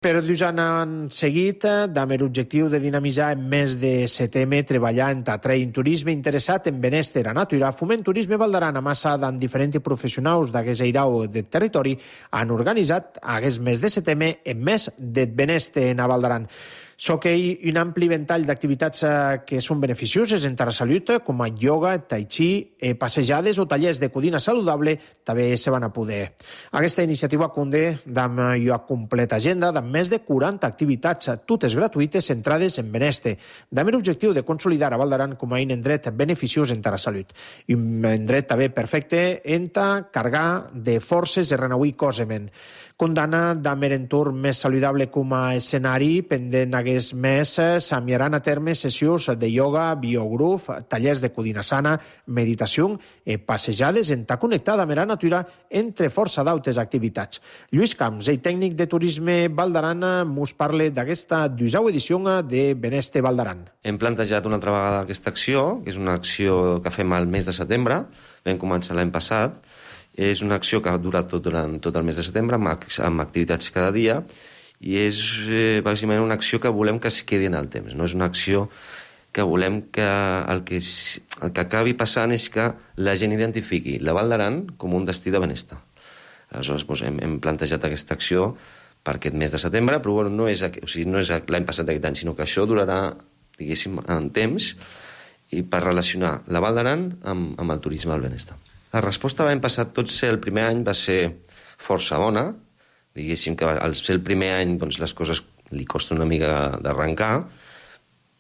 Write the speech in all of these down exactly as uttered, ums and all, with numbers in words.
Per dos anys han seguit, amb l'objectiu de dinamitzar en mes de setembre, treballar en atrair turisme interessat en benestar a natura, Foment Turisme Val d'Aran, amassat amb diferents professionals d'aquest airau del territori, han organitzat aquest mes de setembre en mes de benestar a Val d'Aran. S'oquei un ampli ventall d'activitats que són beneficioses en la salut, com a ioga, tai chi, passejades o tallers de cuina saludable, també se van a poder. Aquesta iniciativa conté amb una completa agenda de més de quaranta activitats, totes gratuïtes, centrades en benestar, amb l'objectiu de consolidar a Val d'Aran com a un indret beneficiós en la salut. Un indret també perfecte en carregar de forces i renauir cosement. Condana amb l'entorn més saludable com a escenari, pendent aquest mes s'enviaran a terme sessions de ioga, biogruf, tallers de cuina sana, meditació i passejades en ta connectada amb la natura, entre força d'altres activitats. Lluís Camps, el tècnic de turisme Val d'Aran, mos parla d'aquesta dusau edició de Benestar Val d'Aran. Hem plantejat una altra vegada aquesta acció, que és una acció que fem al mes de setembre, vam començar l'any passat. És una acció que ha durat tot, durant tot el mes de setembre, amb, amb activitats cada dia, i és eh, bàsicament una acció que volem que es quedi en el temps. No és una acció que volem que el que, el que acabi passant és que la gent identifiqui la Val d'Aran com un destí de benestar. Aleshores, doncs, hem, hem plantejat aquesta acció per aquest mes de setembre, però bueno, no és, o sigui, no és l'any passat d'aquest any, sinó que això durarà, diguéssim, en temps, i per relacionar la Val d'Aran amb, amb el turisme del benestar. La resposta l'any passat, tot ser el primer any, va ser força bona. Diguéssim que al ser el primer any doncs, les coses li costa una mica d'arrencar,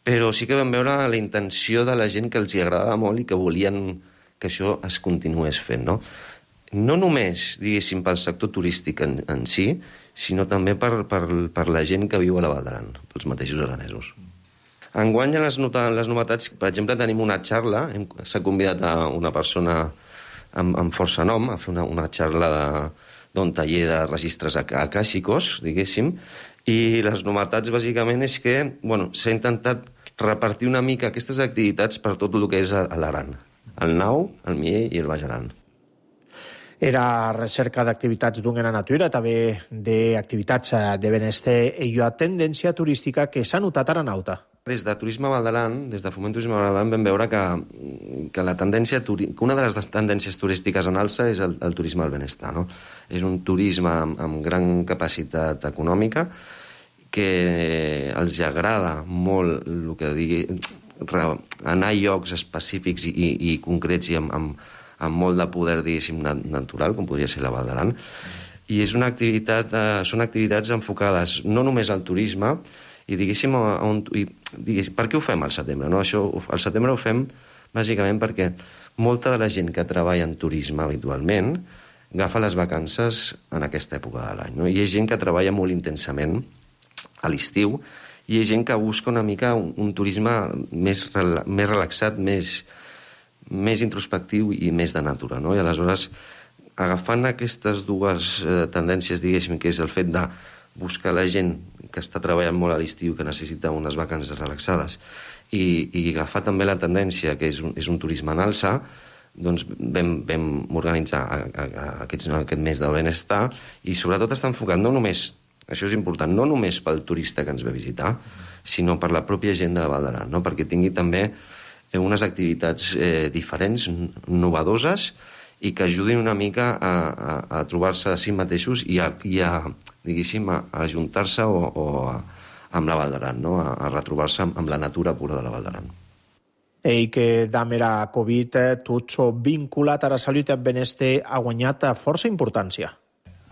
però sí que vam veure la intenció de la gent que els hi agradava molt i que volien que això es continués fent. No, no només, diguéssim, pel sector turístic en, en si, sinó també per, per, per la gent que viu a la Val d'Aran, pels mateixos aranesos. Enguany, les, les novetats, per exemple, tenim una xarla, s'ha convidat a una persona amb, amb força nom, a fer una, una xarla d'un taller de registres acàssicos, diguéssim, i les novetats, bàsicament, és que bueno, s'ha intentat repartir una mica aquestes activitats per tot el que és a l'Aran, el Nau, el Mier i el Baix Aran. Era recerca d'activitats d'un gran natura, també d'activitats de benestar i una tendència turística que s'ha notat a Aranauta. Des de Turisme Val d'Aran, des de Foment Turisme Val d'Aran, vam veure que, que, la tendència, que una de les tendències turístiques en alça és el, el turisme del benestar. No? És un turisme amb, amb gran capacitat econòmica que els agrada molt el que digui, anar a llocs específics i, i, i concrets i amb, amb, amb molt de poder, diguéssim, natural, com podria ser la Val d'Aran. I és una activitat, eh, són activitats enfocades no només al turisme, i diguéssim, on, i, diguéssim, per què ho fem al setembre? No? Això, al setembre ho fem bàsicament perquè molta de la gent que treballa en turisme habitualment agafa les vacances en aquesta època de l'any. No? Hi ha gent que treballa molt intensament a l'estiu i hi ha gent que busca una mica un, un turisme més, més relaxat, més, més introspectiu i més de natura. No? I aleshores, agafant aquestes dues eh, tendències, diguéssim, que és el fet de buscar la gent que està treballant molt a l'estiu, que necessita unes vacances relaxades, i, i agafar també la tendència, que és un, és un turisme en alça, doncs vam, vam organitzar a, a, a aquests, aquest mes del benestar, i sobretot està enfocat no només, això és important, no només pel turista que ens ve a visitar, sinó per la pròpia gent de la Val d'Aran, no? Perquè tingui també unes activitats eh, diferents, innovadores, i que ajudin una mica a, a, a trobar-se a si mateixos i a, i a diguéssim, a, a ajuntar-se o, o a, amb la Val d'Aran, no? a, a retrobar-se amb, amb la natura pura de la Val d'Aran. I que amb la Covid tot això vinculat a la salut i al benestar ha guanyat força importància.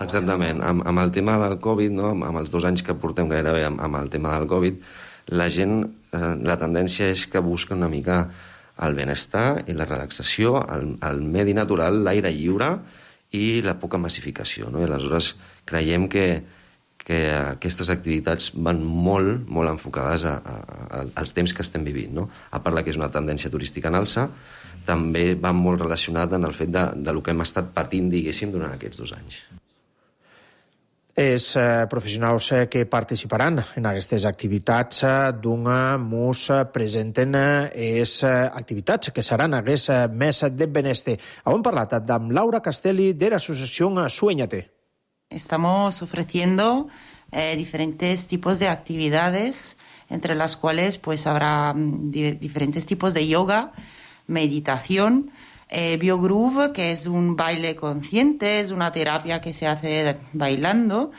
Exactament. Amb, amb el tema del Covid, no? amb, amb els dos anys que portem gairebé amb, amb el tema del Covid, la gent, eh, la tendència és que busca una mica el benestar i la relaxació, el, el medi natural, l'aire lliure i la poca massificació. No? I aleshores creiem que, que aquestes activitats van molt, molt enfocades a, a, a, als temps que estem vivint. No? A part de que és una tendència turística en alça, també va molt relacionat en el fet de, de lo que hem estat patint, diguéssim, durant aquests dos anys. Els eh, professionals eh, que participaran en aquestes activitats eh, d'una mos presenten les eh, activitats que seran aquest eh, mes de benestar. Hem parlat amb Laura Castelli de l'associació Sueñate. Estamos ofreciendo eh, diferentes tipos de actividades, entre las cuales pues habrá di- diferentes tipos de yoga, meditación, eh, Biogroove, que es un baile consciente, es una terapia que se hace bailando,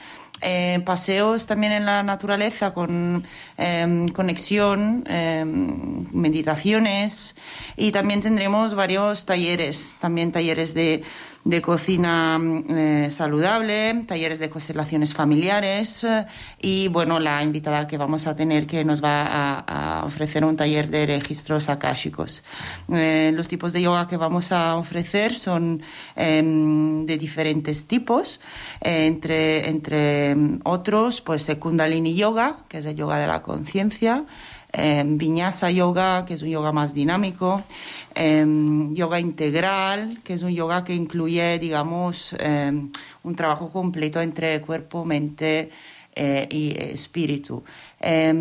eh, paseos también en la naturaleza con eh, conexión, eh, meditaciones, y también tendremos varios talleres, también talleres de de cocina eh, saludable, talleres de constelaciones familiares eh, y, bueno, la invitada que vamos a tener que nos va a, a ofrecer un taller de registros akáshicos. Eh, los tipos de yoga que vamos a ofrecer son eh, de diferentes tipos, eh, entre, entre otros, pues el Kundalini Yoga, que es el yoga de la conciencia, Eh, Vinyasa Yoga, que es un yoga más dinámico, eh, yoga integral, que es un yoga que incluye, digamos, eh, un trabajo completo entre cuerpo, mente eh, y espíritu. Eh,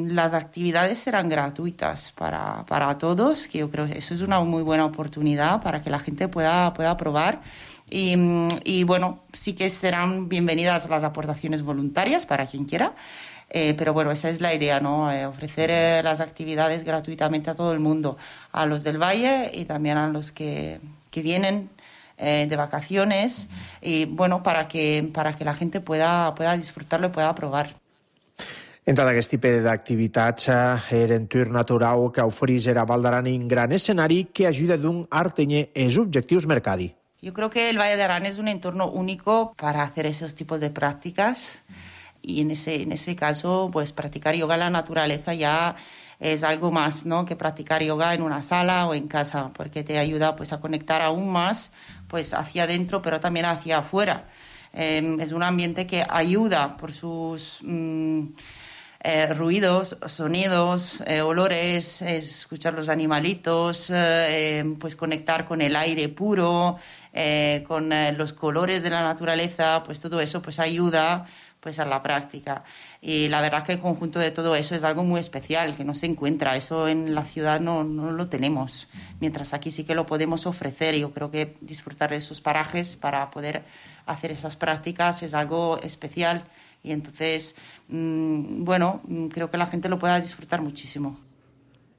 las actividades serán gratuitas para, para todos, que yo creo que eso es una muy buena oportunidad para que la gente pueda, pueda probar. Y, y bueno, sí que serán bienvenidas las aportaciones voluntarias para quien quiera. Eh, pero bueno, esa es la idea, ¿no? Eh, ofrecer eh, las actividades gratuitamente a todo el mundo, a los del Valle y también a los que, que vienen eh, de vacaciones, y bueno, para que, para que la gente pueda, pueda disfrutarlo y pueda probar. Entre aquest tipus d'activitats, er entorn natural que ofereix a Val d'Aran un gran escenari que ajuda d'un artenyer els objectius mercadi. Yo creo que el Valle de Arán es un entorno único para hacer esos tipos de prácticas. Y en ese, en ese caso, pues practicar yoga en la naturaleza ya es algo más, ¿no?, que practicar yoga en una sala o en casa, porque te ayuda pues a conectar aún más pues hacia adentro, pero también hacia afuera. Eh, es un ambiente que ayuda por sus mm, eh, ruidos, sonidos, eh, olores, escuchar los animalitos, eh, pues conectar con el aire puro, eh, con eh, los colores de la naturaleza, pues todo eso pues ayuda pues a la práctica. Y la verdad que el conjunto de todo eso es algo muy especial, que no se encuentra. Eso en la ciudad no, no lo tenemos, mientras aquí sí que lo podemos ofrecer. Yo creo que disfrutar de esos parajes para poder hacer esas prácticas es algo especial. Y entonces, mmm, bueno, creo que la gente lo pueda disfrutar muchísimo.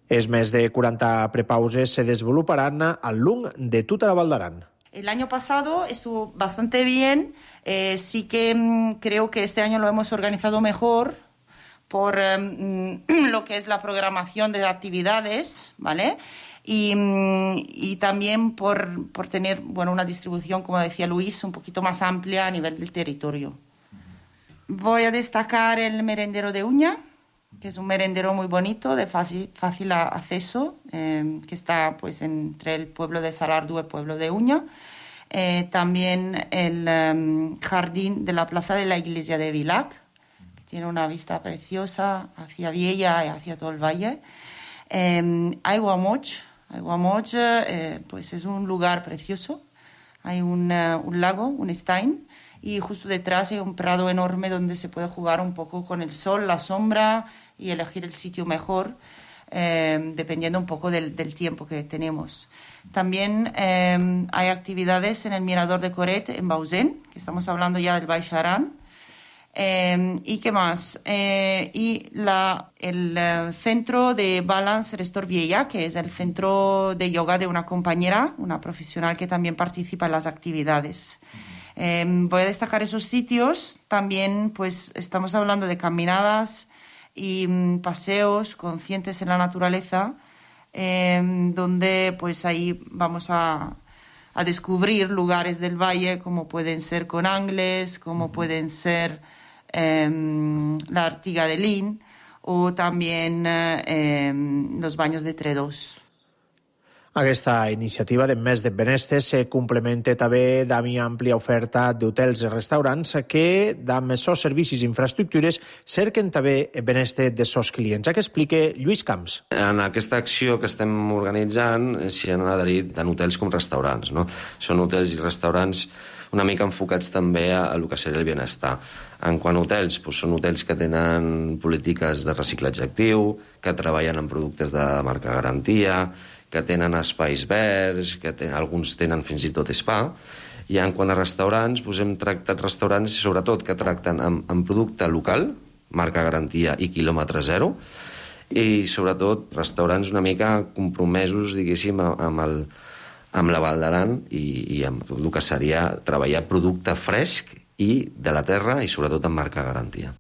Els més de quaranta prepauses se desenvoluparan al long de tota la Val d'Aran. El año pasado estuvo bastante bien, eh, sí que mmm, creo que este año lo hemos organizado mejor por mmm, lo que es la programación de actividades, ¿vale? Y, mmm, y también por, por tener, bueno, una distribución, como decía Luis, un poquito más amplia a nivel del territorio. Voy a destacar el merendero de Uña, que es un merendero muy bonito, de fácil, fácil acceso, eh, que está pues entre el pueblo de Salardu y el pueblo de Uña. Eh, también el um, jardín de la plaza de la iglesia de Vilac, que tiene una vista preciosa hacia Viella y hacia todo el valle. Eh, Aiguamoch, Aiguamoch eh, pues es un lugar precioso. Hay un, uh, un lago, un stein, y justo detrás hay un prado enorme donde se puede jugar un poco con el sol, la sombra y elegir el sitio mejor, eh, dependiendo un poco del, del tiempo que tenemos. También eh, hay actividades en el Mirador de Coret, en Bausen, que estamos hablando ya del Baix Aran. Eh, ¿Y qué más? Eh, y la, el uh, centro de Balance Restore Viella, que es el centro de yoga de una compañera, una profesional que también participa en las actividades. Eh, voy a destacar esos sitios. También pues estamos hablando de caminadas y um, paseos conscientes en la naturaleza, eh, donde pues ahí vamos a, a descubrir lugares del valle como pueden ser Conangles, como pueden ser eh, la Artiga de Lin o también eh, los baños de Tredós. Aquesta iniciativa de Mes de Benestes se complementa també amb una àmplia oferta d'hotels i restaurants que, amb els seus servicis i infraestructures, cerquen també el benestar dels seus clients. Això que explica Lluís Camps. En aquesta acció que estem organitzant s'hi han adherit tant hotels com restaurants, no? Són hotels i restaurants una mica enfocats també a, a lo que seria el benestar. En quant a hotels, doncs són hotels que tenen polítiques de reciclatge actiu, que treballen en productes de marca garantia, que tenen espais verds, que ten, alguns tenen fins i tot spa, I en quant a restaurants, doncs hem tractat restaurants, sobretot, que tracten amb, amb producte local, marca garantia i quilòmetre zero, i sobretot restaurants una mica compromesos, diguéssim, amb, el, amb la Val d'Aran i, i amb tot el que seria treballar producte fresc i de la terra i sobretot amb marca garantia.